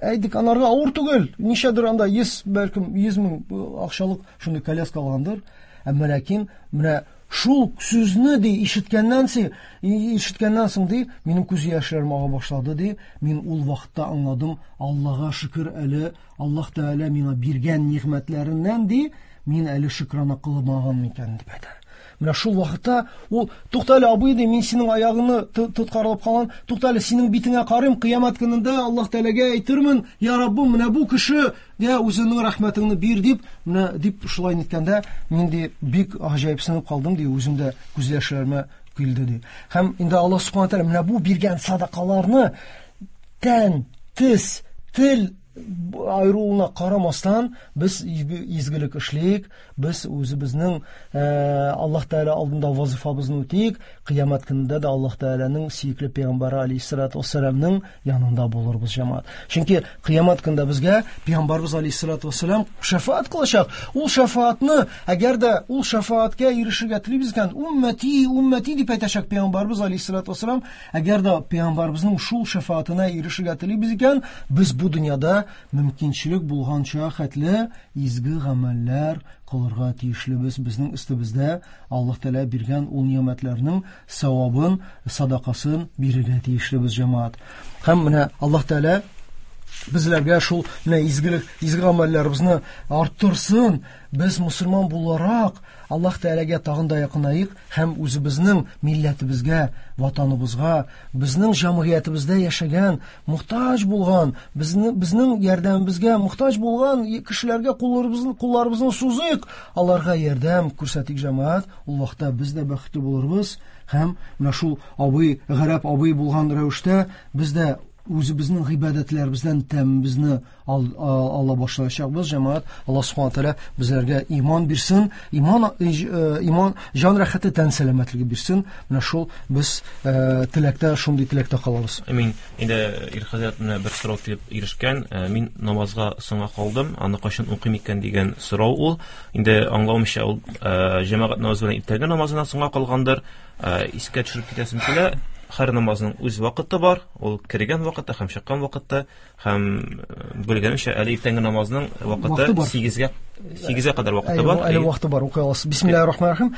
S5: Әйдик, анарга авыр түгел, ничәдер анда 100, бәлкем 100 мең акчалык шундый коляска алгандыр. Әмма ләкин менә шул сүзне ди ишеткәннән соң ди, минем күз яшьләрем ага башлады ди. Мин ул вакытта аңладым, Аллаһка шөкер әле, Аллаһ Тәгалә миңа биргән нигъмәтләреннән ди, мин әле шөкрана кылмаган икән дип әйтә. Менә шул вакытта ул, тукта әле абый ди, мин синең аягыңны тоткарлап калган, тукта әле синең битеңә карыйм, кыямәт көнендә Аллаһ Тәгаләгә әйтермен, я Раббым, менә бу кеше, я үзеңнең рәхмәтеңне бир дип, менә дип шулай ниткәндә, мин ди бик гаҗәпсенеп калдым ди, үзем дә күз яшьләремә килде ди. Һәм инде Аллаһ Субхану тәгалә менә бу биргән садакаларны тән, тез, тел айыруына карамастан без изгелек эшлик, без үзебезнең Аллаһ Тәгалә алдында вазифабызны үтик, кыямәт көнендә дә Аллаһ Тәгаләнең сөекле пәйгамбәре алейһиссалату вассаламның янында булырбыз, җәмәгать. Чөнки кыямәт көнендә безгә пәйгамбәрбез алейһиссалату вассалам шәфаат кылачак. Ул шәфаатны, әгәр дә ул шәфааткә ирешергә телибез икән, уммәти, уммәти дип әйтәчәк пәйгамбәрбез алейһиссалату вассалам. Әгәр дә пәйгамбәрбезнең шул шәфаатына ирешергә телибез икән, без бу дөньяда мөмкинчелек булганча хәтле изге гамәлләр кылырга тиешлебез. Безнең өстебездә Аллаһ Тәгалә биргән ул нигъмәтләрнең савабын, садакасын бирергә тиешлебез, җәмәгать. Һәм менә Аллаһ Тәгалә безләргә шул менә изгелек, изге гамәлләребезне арттырсын. Без мусульман буларак Аллаһ Тәгаләгә тагын да якынаек һәм үзебезнең милләтебезгә, ватаныбызга, безнең җәмгыятебездә яшәгән, мохтаҗ булган, безнең ярдәмебезгә мохтаҗ булган кешеләргә кулларыбызны сузыйк, аларга ярдәм күрсәтик, җәмәгать. Ул вакытта без дә бәхетле булырбыз һәм менә шул абый, гарәп абый булган рәвештә без дә үзебезнең гыйбадәтләребездән тәмебезне ала башлаячакбыз, җәмәгать. Аллаһ Субхану тәгалә безләргә иман бирсен, иман, җан рәхәте, тән сәламәтлеге бирсен. Менә шул без теләктә, шундый теләктә калабыз.
S4: Амин. Инде Ир хәзрәт, менә бер сорау килеп ирешкән. Мин намазга соңга калдым, аны кайчан укыйм икән дигән сорау ул. Инде аңлавымча, ул җәмәгать намазы белән иртәнге намазына соңга калгандыр. Искә төшереп китәсем килә, һәр намазның үз вакыты бар, ул кергән вакыты һәм чыккан вакыты, һәм белгәнемчә, әле иртәнге намазның вакыты 8-гә 8-гә кадәр вакыты бар.
S5: Әле вакыты бар, укый аласыз. Бисмиллаһир рахманир рахим.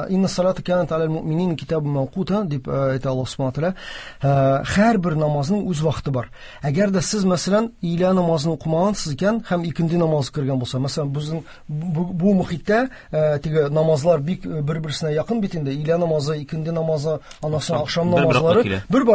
S5: Инна салата канат алал муъминин китабун мавкута дип әйтә Аллаһ субхана тааля. Һәрбер намазның үз вакыты бар. Әгәр дә сез, мәсәлән, өйлә намазын укымагансыз икән һәм икенде намазы кергән булса, мәсәлән, безнең бу мөхиттә теге намазлар бик бер-берсенә якын бит инде. Өйлә намазы, икенде намазы, аннан соң ахшам намазлары бер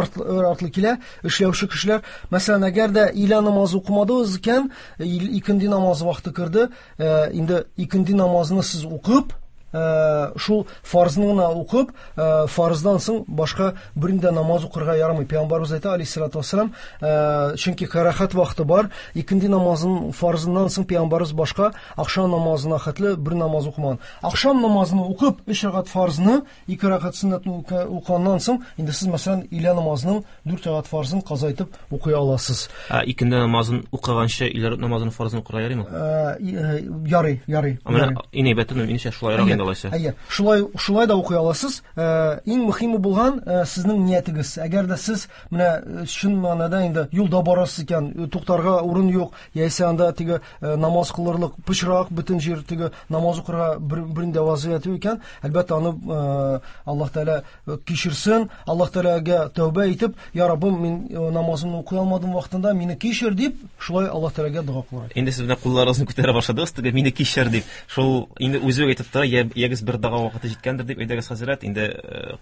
S5: артлы килә. Эшләүче кешеләр, мәсәлән, әгәр дә өйлә намазы укымадыгыз икән, икенде намазы вакыты керде, инде икенде намазны сез укып, шул фарзны гына укып, фарздан соң башка бернинди намаз укырга ярамый. Пәйгамбәрбез әйтә, алейһиссалату вассалам, чөнки карахат вакыты бар, икенде намазын фарзыннан соң пәйгамбәрбез башка ахшам намазына хәтле бер намаз укымаган. Ахшам намазын укып, 3 рәкәгать фарзны, 2 рәкәгать сөннәтне укыганнан соң, инде сез, мәсәлән, өйлә намазының 4 рәкәгать фарзын каза итеп укый аласыз.
S4: Ә икенде намазын укыганчы өйлә намазының фарзын укырга ярыймы?
S5: Ярый, ярый.
S4: Менә иң әйбәте, минемчә, шулайрак инде алайса.
S5: Әйе, шулай да укый аласыз. Иң мөһиме булган сезнең ниятегез. Әгәр дә сез менә чын мәгънәдә инде юлда барасыз икән, туктарга урын юк, яисә анда теге намаз кылырлык пычрак бөтен җир, теге намаз укырга бернинди вазыят юк икән, әлбәттә, аны Аллаһ Тәгалә кичерсен, Аллаһ Тәгаләгә тәүбә итеп, я Раббым, мин намазымны укый алмадым вакытында, мине кичер дип, шулай Аллаһ Тәгаләгә дога кылырга.
S4: Инде сез менә кулларыгызны күтәрә башладыгыз, теге мине кичер дип. Шул инде үзе үк әйтеп тора, ягез бер дога вакыты җиткәндер дип, әйдәгез хәзрәт, инде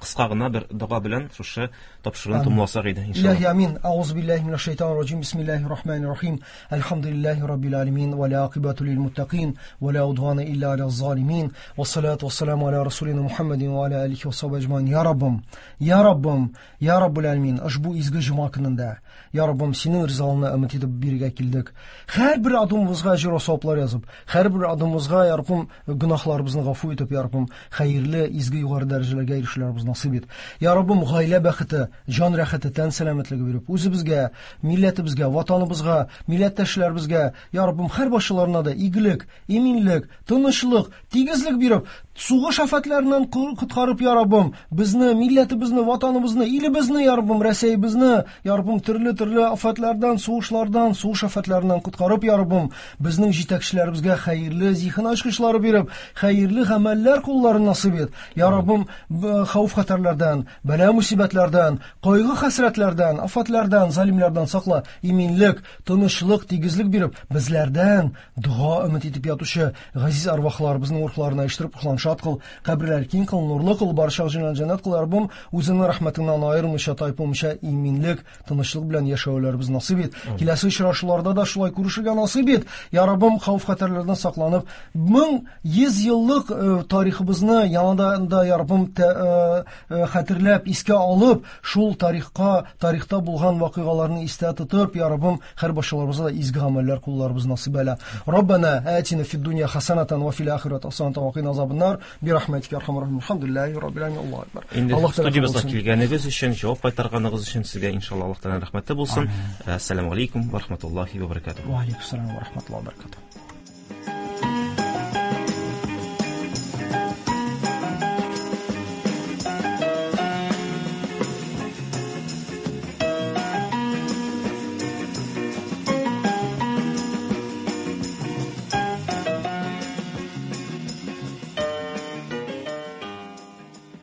S4: кыска гына бер дога белән шушы тапшыруны томласак иде, иншалла.
S5: Илаһи амин. Аузу биллаһи минәш шайтанир раҗим. Бисмиллаһир рахманир рахим. Әлхәмдүлиллаһи раббил аламин ва ла акибату лил муттакин ва ла удвана илля аля залимин. Ва салату ва саламу аля расулина Мухаммадин ва аля алихи ва сахбихи аҗмаин. Я Раббым, я Раббым, я Раббул аламин, ошбу изге җомга көнендә, я Раббым, синең ризалыгыңны өмет итеп биргә килдек. Һәрбер адымыбызга әҗер ва саваплар язып, һәрбер адымыбызга, я Раббым, гөнаһларыбызны гафу итеп, я Раббым, хәерле, изге югары дәрәҗәләргә ирешүләребез насыйп ит. Я Раббым, гаилә бәхете, җан рәхәте, тән сәламәтлеге биреп, үзебезгә, милләтебезгә, ватаныбызга, милләттәшләребезгә, я Раббым, һәр башчыларына да игелек, иминлек, тынычлык, тигезлек биреп, сугыш афәтләреннән коткарып, я Раббым, безне, милләтебезне, ватаныбызны, илебезне, я Раббым, Рәсәйебезне, я Раббым, төрле-төрле афәтләрдән, сугышлардан, сугыш афәтләреннән коткарып, я Раббым, безнең җитәкчеләребезгә хәерле зиһен ачкычлары биреп, хәерле гамәлләр кулларын насыйп ит. Я Раббым, хәвеф-хәтәрләрдән, бәла мусибәтләрдән, кайгы-хәсрәтләрдән, афәтләрдән, залимләрдән сакла, иминлек, тынычлык, тигезлек биреп, безләрдән дога өмет итеп ятучы газиз арвахларыбызның рухларына иштереп, рухларын шат кыл, каберләр киң кыл, нурлы кыл, барча җаннар җәннәт кыл, Раббым, үзеңнең рәхмәтеңнән аермыйча, тайпылмыйча, иминлек, тынычлык белән яшәүләребез насыйп ит. Киләсе очрашуларда да шулай күрешергә насыйп ит. Я Раббым, хәвеф-хәтәрләрдән сакланып, 1100 еллык тарихыбызны яңадан да, я Раббым, хәтерләп, искә алып, шул тарихта булган вакыйгаларны истә тотып, я Раббым, һәр башчаларыбызга да изге гамәлләр кулларыбыз насыйп әйлә. Раббана атина фид дунья хасанатан ва фил ахирати хасанатан ва кина азабан-нар би рахматика архамар рахимин. Алхамдулиллахи раббил аламин. Аллаһу акбар.
S4: Инде
S5: Аллаһ Тәгалә
S4: студиябезгә
S5: кабул итсен.
S4: килгәнегез өчен, җавап кайтарганыгыз өчен сезгә иншалла Аллаһ Тәгаләнең рәхмәте булсын.
S5: Амин.
S4: Ассаламу алейкум ва рахматуллахи ва баракатуһ.
S5: Ва алейкум ассалам ва рахматуллахи ва баракатуһ.